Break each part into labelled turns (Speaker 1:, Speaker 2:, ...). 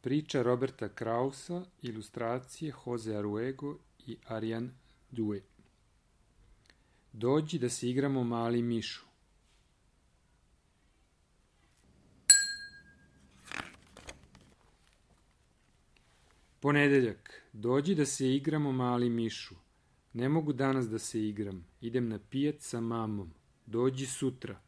Speaker 1: Priča Roberta Krausa, ilustracije Jose Aruego i Ariane Due. Dođi da se igramo mali mišu. Ponedeljak. Dođi da se igramo mali mišu. Ne mogu danas da se igram. Idem na pijac sa mamom. Dođi sutra.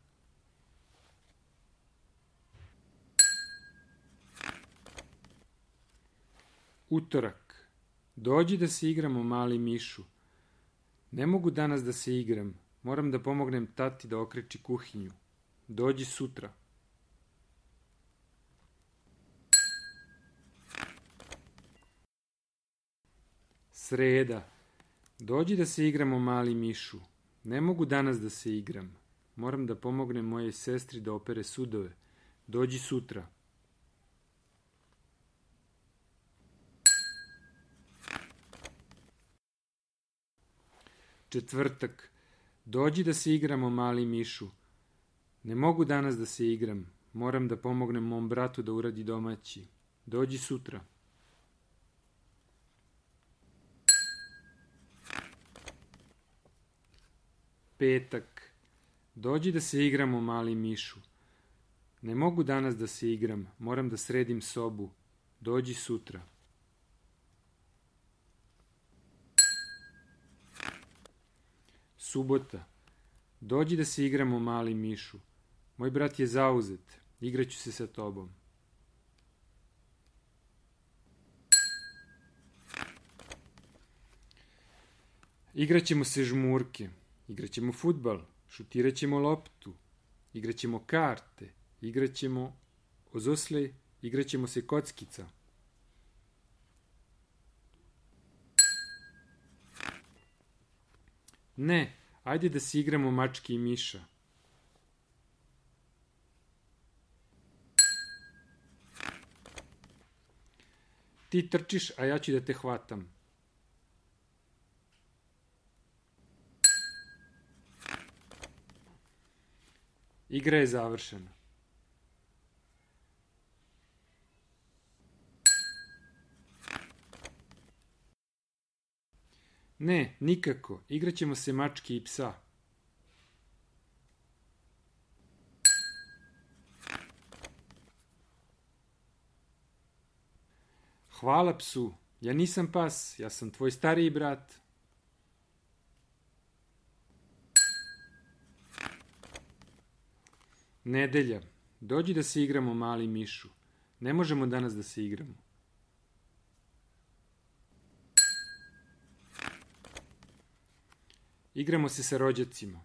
Speaker 1: Utorak. Dođi da se igramo mali mišu. Ne mogu danas da se igram. Moram da pomognem tati da okreči kuhinju. Dođi sutra. Sreda. Dođi da se igramo mali mišu. Ne mogu danas da se igram. Moram da pomognem mojej sestri da opere sudove. Dođi sutra. Četvrtak. Dođi da se igramo mali mišu. Ne mogu danas da se igram. Moram da pomognem mom bratu da uradi domaći. Dođi sutra. Petak. Dođi da se igramo mali mišu. Ne mogu danas da se igram. Moram da sredim sobu. Dođi sutra. Subota. Dođi da se igramo mali mišu. Moj brat je zauzet. Igraću se sa tobom. Igraćemo se žmurke. Igraćemo fudbal. Šutiraćemo loptu. Igraćemo karte. Igraćemo ozosle. Igraćemo se kockica. Ne, ajde da se igramo mačke i miša. Ti trčiš, a ja ću da te hvatam. Igra je završena. Ne, nikako. Igraćemo se mačke i psa. Hvala psu. Ja nisam pas. Ja sam tvoj stariji brat. Nedelja. Dođi da se igramo mali mišu. Ne možemo danas da se igramo. Igramo se sa rođacima.